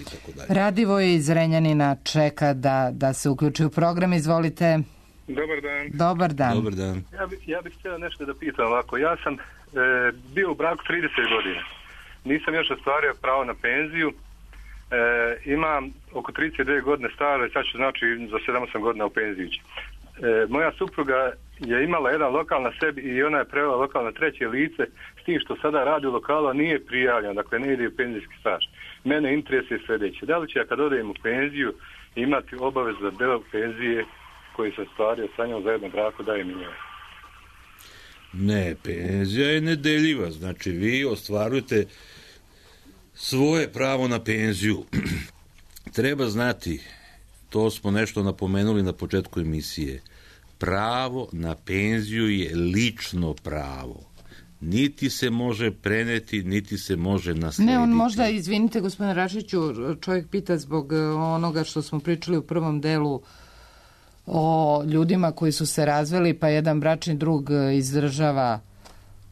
Radivo je iz Renjanina, čeka da se uključi u program. Izvolite. Dobar dan. Dobar dan. Ja bih htio nešto da pitam ovako. Ja sam bio u braku 30 godina. Nisam još ostvario pravo na penziju. Imam oko 32 godine staro i sad ću znači za 7-8 godina u penziju. Moja supruga je imala jedan lokal na sebi i ona je prevela lokal na treće lice, s tim što sada radi u lokalu, a nije prijavljena, dakle ne ide u penzijski staž. Mene interesuje sljedeće. Da li će ja kad odem u penziju imati obavez za deo penzije koji se ostvario sa njom za jedno brako daje mi njoj? Ne, penzija je nedeljiva. Znači vi ostvarujete svoje pravo na penziju. Treba znati, to smo nešto napomenuli na početku emisije, pravo na penziju je lično pravo. Niti se može preneti, niti se može naslediti. Ne, on možda, izvinite gospodine Rašiću, čovjek pita zbog onoga što smo pričali u prvom delu o ljudima koji su se razveli, pa jedan bračni drug izdržava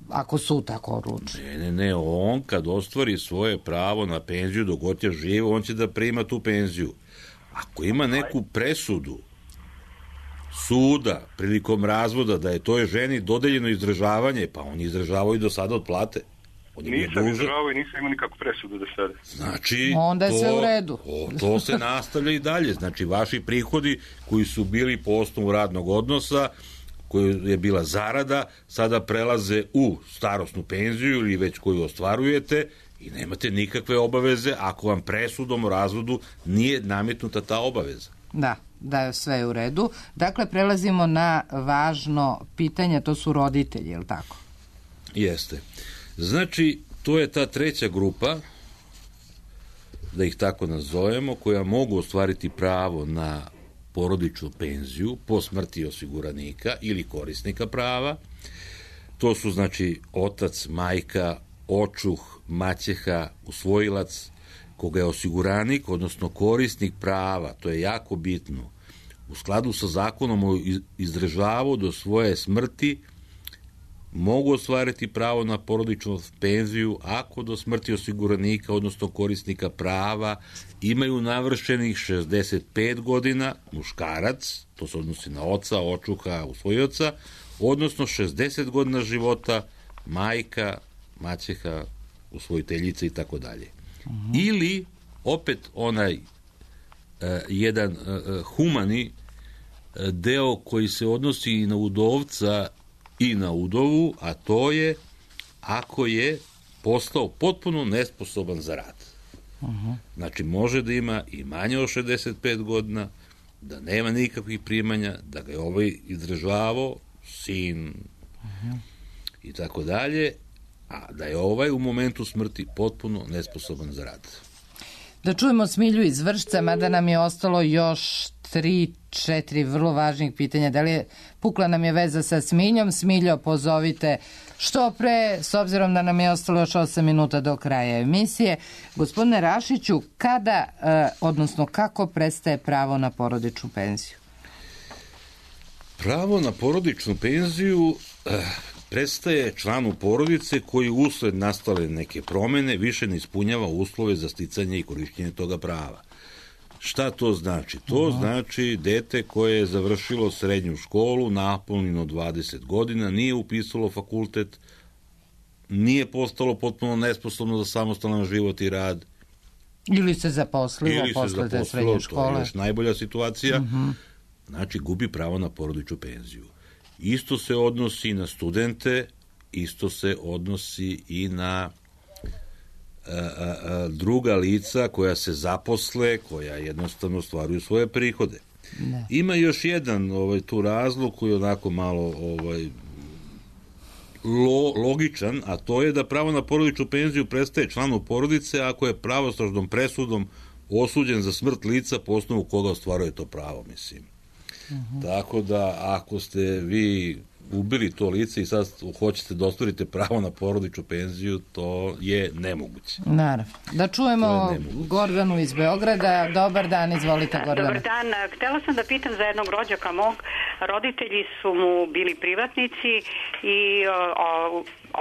ako su tako odlučili. Ne, on kad ostvari svoje pravo na penziju dok god je živ, on će da prima tu penziju. Ako ima neku presudu suda prilikom razvoda da je toj ženi dodeljeno izdržavanje, pa on izdržavao i do sada od plate. Nisam izdržavao i nisam imao nikakvu presudu do sada. Znači, onda je sve u redu. To se nastavlja i dalje. Znači, vaši prihodi koji su bili po osnovu radnog odnosa, koja je bila zarada, sada prelaze u starosnu penziju ili već koju ostvarujete i nemate nikakve obaveze ako vam presudom o razvodu nije nametnuta ta obaveza. Da je sve u redu. Dakle, prelazimo na važno pitanje, to su roditelji, je li tako? Jeste. Znači, to je ta treća grupa, da ih tako nazovemo, koja mogu ostvariti pravo na porodičnu penziju po smrti osiguranika ili korisnika prava. To su znači otac, majka, očuh, maćeha, usvojilac, koga je osiguranik, odnosno korisnik prava, to je jako bitno, u skladu sa zakonom o izdržavu do svoje smrti mogu ostvariti pravo na porodičnu penziju ako do smrti osiguranika, odnosno korisnika prava, imaju navršenih 65 godina, muškarac, to se odnosi na oca, očuha, usvojioca, odnosno 60 godina života, majka, maćeha, usvojiteljica i tako dalje. Ili, opet onaj jedan humani deo koji se odnosi i na udovca i na udovu, a to je ako je postao potpuno nesposoban za rad. Znači, može da ima i manje od 65 godina, da nema nikakvih primanja, da ga je ovaj izdržavao, sin i tako dalje, a da je ovaj u momentu smrti potpuno nesposoban za rad. Da čujemo Smilju iz Vršca, mada nam je ostalo još 3-4 vrlo važnih pitanja. Da li je pukla nam je veza sa Smiljom? Smiljo, pozovite što pre, s obzirom da nam je ostalo još 8 minuta do kraja emisije. Gospodine Rašiću, kada, odnosno kako prestaje pravo na porodičnu penziju? Pravo na porodičnu penziju prestaje članu porodice koji usled nastale neke promene više ne ispunjava uslove za sticanje i korišćenje toga prava. Šta to znači? To znači dete koje je završilo srednju školu, napunjeno 20 godina, nije upisalo fakultet, nije postalo potpuno nesposobno za samostalan život i rad. Ili se zaposlilo posle te srednje škole. To je još najbolja situacija. Znači, gubi pravo na porodičnu penziju. Isto se odnosi na studente, isto se odnosi i na druga lica koja se zaposle, koja jednostavno ostvaruju svoje prihode. Ne. Ima još jedan tu razlog koji je onako malo logičan, a to je da pravo na porodičnu penziju prestaje članu porodice ako je pravosnažnom presudom osuđen za smrt lica po osnovu koga ostvaruje to pravo, mislim. Tako da, ako ste vi ubili to lice i sad hoćete da ostvarite pravo na porodičnu penziju, to je nemoguće. Naravno. Da čujemo Gordanu iz Beograda. Dobar dan, izvolite, Gordana. Dobar dan. Htela sam da pitam za jednog rođaka mog. Roditelji su mu bili privatnici i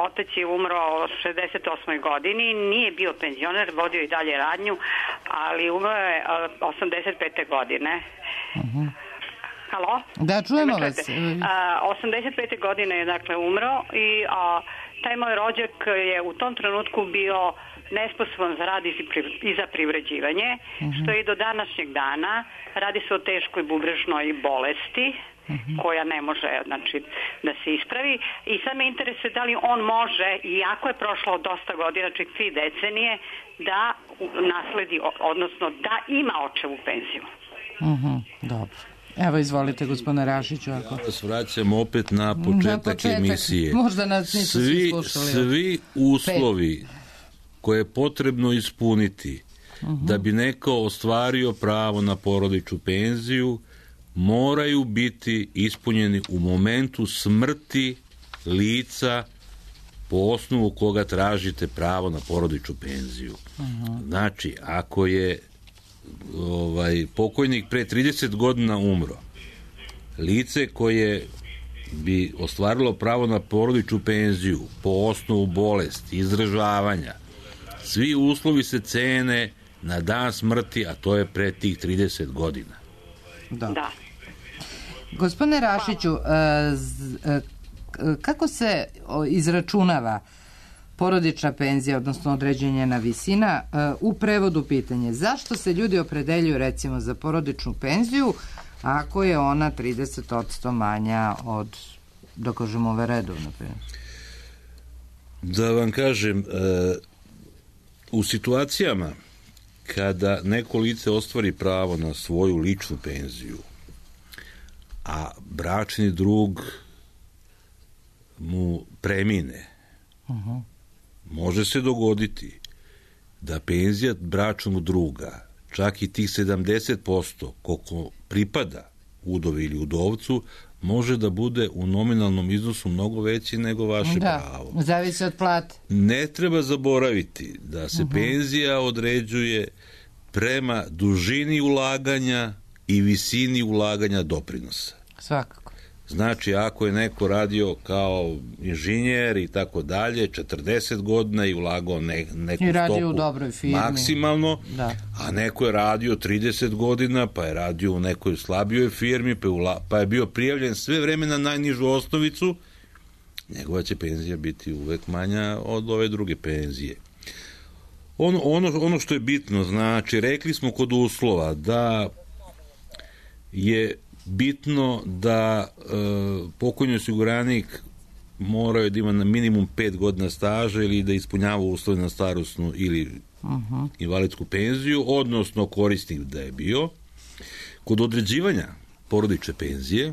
otac je umro u 68. godini. Nije bio penzioner, vodio i dalje radnju, ali umro je 85. godine. Halo? Da, čujemo vas. 85. godine je dakle umro i taj moj rođak je u tom trenutku bio nesposoban za rad i za privređivanje, što je i do današnjeg dana. Radi se o teškoj bubrežnoj bolesti koja ne može, znači, da se ispravi. I sad me interesuje da li on može, iako je prošlo dosta godina, znači 3 decenije, da nasledi, odnosno da ima očevu penziju. Dobro. Evo, izvolite, gospodine Rašiću. Ako... Ja vas vraćam opet na početak emisije. Možda nas nisu svi slušali. Svi uslovi koje je potrebno ispuniti da bi neko ostvario pravo na porodičnu penziju moraju biti ispunjeni u momentu smrti lica po osnovu koga tražite pravo na porodičnu penziju. Znači, ako je pokojnik pre 30 godina umro, lice koje bi ostvarilo pravo na porodičnu penziju po osnovu bolesti, izdržavanja, svi uslovi se cene na dan smrti, a to je pre tih 30 godina. Da. Gospodine Rašiću, kako se izračunava porodična penzija, odnosno određenjena visina? U prevodu pitanje, zašto se ljudi opredeljuju recimo za porodičnu penziju ako je ona 30% manja od, da kažemo, ove redovne penzije? Da vam kažem, u situacijama kada neko lice ostvari pravo na svoju ličnu penziju, a bračni drug mu premine, može se dogoditi da penzija bračnog druga, čak i tih 70% koliko pripada udovi ili udovcu, može da bude u nominalnom iznosu mnogo veći nego vaše pravo. Da, zavisi od plate. Ne treba zaboraviti da se penzija određuje prema dužini ulaganja i visini ulaganja doprinosa. Svakako. Znači, ako je neko radio kao inženjer i tako dalje, 40 godina i ulagao neku I radio stopu u dobroj firmi. Maksimalno, da. A neko je radio 30 godina, pa je radio u nekoj slabijoj firmi, pa je bio prijavljen sve vreme na najnižu osnovicu, njegova će penzija biti uvek manja od ove druge penzije. Ono što je bitno, znači, rekli smo kod uslova da je bitno da pokojni osiguranik morao da ima na minimum 5 godina staža ili da ispunjava uslove na starosnu ili invalidsku penziju, odnosno korisnik da je bio. Kod određivanja porodične penzije,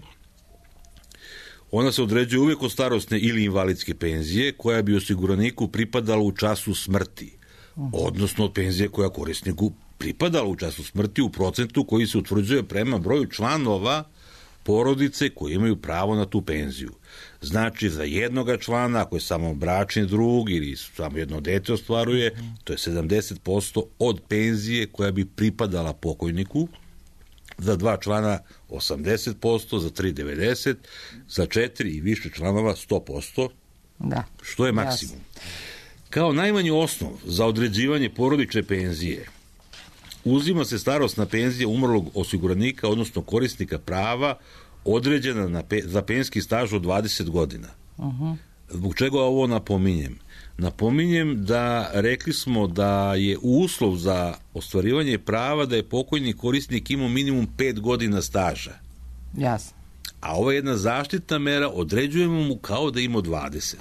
ona se određuje uvijek od starosne ili invalidske penzije koja bi osiguraniku pripadala u času smrti, odnosno od penzije koja korisniku pripadala u času smrti u procentu koji se utvrđuje prema broju članova porodice koji imaju pravo na tu penziju. Znači, za jednoga člana, ako je samo bračni drug ili samo jedno dete ostvaruje, to je 70% od penzije koja bi pripadala pokojniku, za 2 člana 80%, za 3 90%, za 4 i više članova 100%, da. Što je maksimum. Kao najmanji osnov za određivanje porodične penzije uzima se starosna penzija umrlog osiguranika, odnosno korisnika prava, određena za penzijski staž od 20 godina. Zbog čega ovo napominjem? Napominjem da rekli smo da je uslov za ostvarivanje prava da je pokojni korisnik imao minimum 5 godina staža. Jasno. A ova jedna zaštitna mera određujemo mu kao da ima 20.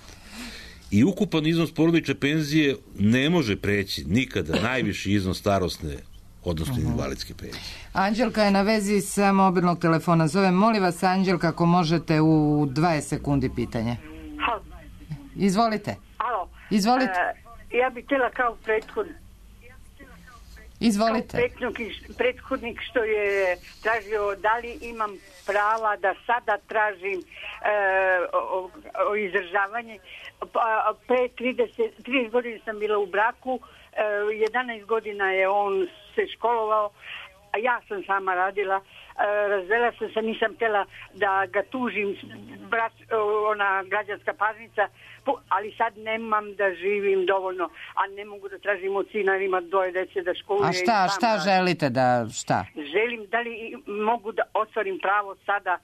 I ukupan iznos porodične penzije ne može preći nikada najviši iznos starosne, odnosno invalidske penzije. Anđelka je na vezi sa mobilnog telefona. Zovem, molim vas, Anđelka, ako možete u 20 sekundi pitanje. Izvolite. Alo. Izvolite. Ja bih htjela kao prethodnik. Izvolite. Prethodnik što je tražio da li imam prava da sada tražim o izdržavanje. Pre 30 godina sam bila u braku, 11 godina je on se školovao, a ja sam sama radila. Razvela sam se, nisam htjela da ga tužim, ona građanska parnica, ali sad nemam da živim dovoljno, a ne mogu da tražim od sina, ima 2 dece da školuje. A šta želite da, šta? Želim da li mogu da ostvarim pravo sada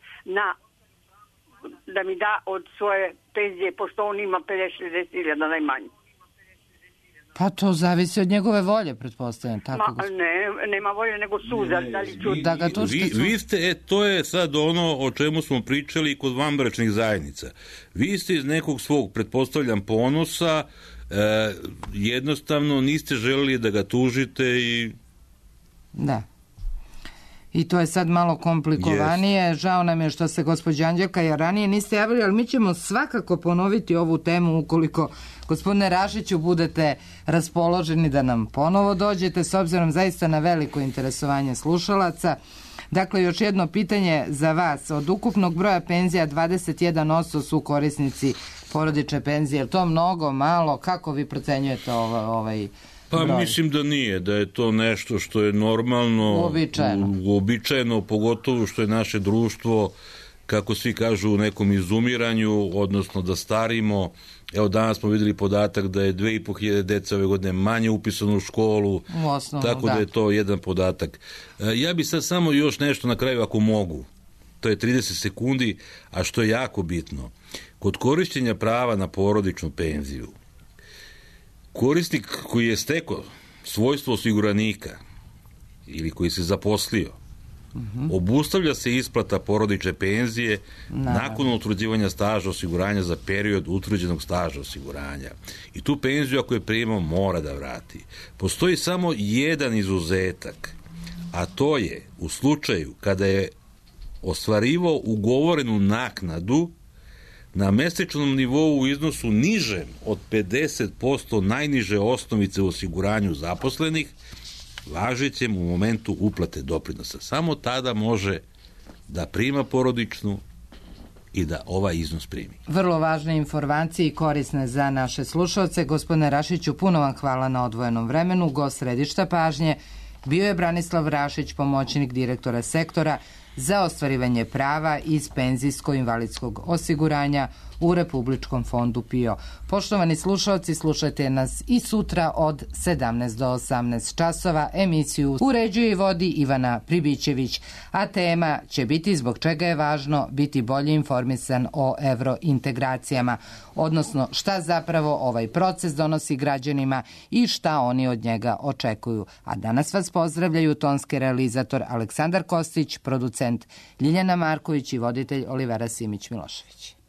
da mi da od svoje penzije, pošto on ima 50-60 000 najmanje. Pa to zavisi od njegove volje, pretpostavljam. Nema volje, nego suza. Da ga vi ste, to je sad ono o čemu smo pričali kod vanbračnih zajednica. Vi ste iz nekog svog, pretpostavljam, ponosa, jednostavno niste želeli da ga tužite i... Da. I to je sad malo komplikovanije. Yes. Žao nam je što se gospođa Anđelka jer ranije niste javili, ali mi ćemo svakako ponoviti ovu temu ukoliko, gospodine Rašiću, budete raspoloženi da nam ponovo dođete, s obzirom zaista na veliko interesovanje slušalaca. Dakle, još jedno pitanje za vas. Od ukupnog broja penzija 21% su korisnici porodične penzije. Je to mnogo, malo? Kako vi procenjujete ovaj Pa broj? Mislim da nije, da je to nešto što je normalno, uobičajeno, pogotovo što je naše društvo, kako svi kažu, u nekom izumiranju, odnosno da starimo. Evo, danas smo vidjeli podatak da je 2500 deca ove godine manje upisano u školu, tako da je to jedan podatak. Ja bi sad samo još nešto na kraju, ako mogu. To je 30 sekundi, a što je jako bitno. Kod korištenja prava na porodičnu penziju, korisnik koji je stekao svojstvo osiguranika ili koji se zaposlio, obustavlja se isplata porodične penzije nakon utvrđivanja staža osiguranja za period utvrđenog staža osiguranja. I tu penziju, ako je primao, mora da vrati. Postoji samo jedan izuzetak, a to je u slučaju kada je ostvarivao ugovorenu naknadu na mesečnom nivou u iznosu nižem od 50% najniže osnovice u osiguranju zaposlenih, važećem u momentu uplate doprinosa. Samo tada može da prima porodičnu i da ovaj iznos primi. Vrlo važne informacije i korisne za naše slušalce. Gospodine Rašiću, puno vam hvala na odvojenom vremenu. Gost središta pažnje bio je Branislav Rašić, pomoćnik direktora sektora za ostvarivanje prava iz penzijsko-invalidskog osiguranja u Republičkom fondu PIO. Poštovani slušalci, slušajte nas i sutra od 17 do 18 časova. Emisiju uređuje i vodi Ivana Pribićević, a tema će biti zbog čega je važno biti bolje informisan o evrointegracijama, odnosno šta zapravo ovaj proces donosi građanima i šta oni od njega očekuju. A danas vas pozdravljaju tonski realizator Aleksandar Kostić, producent Ljiljana Marković i voditelj Olivera Simić-Milošević.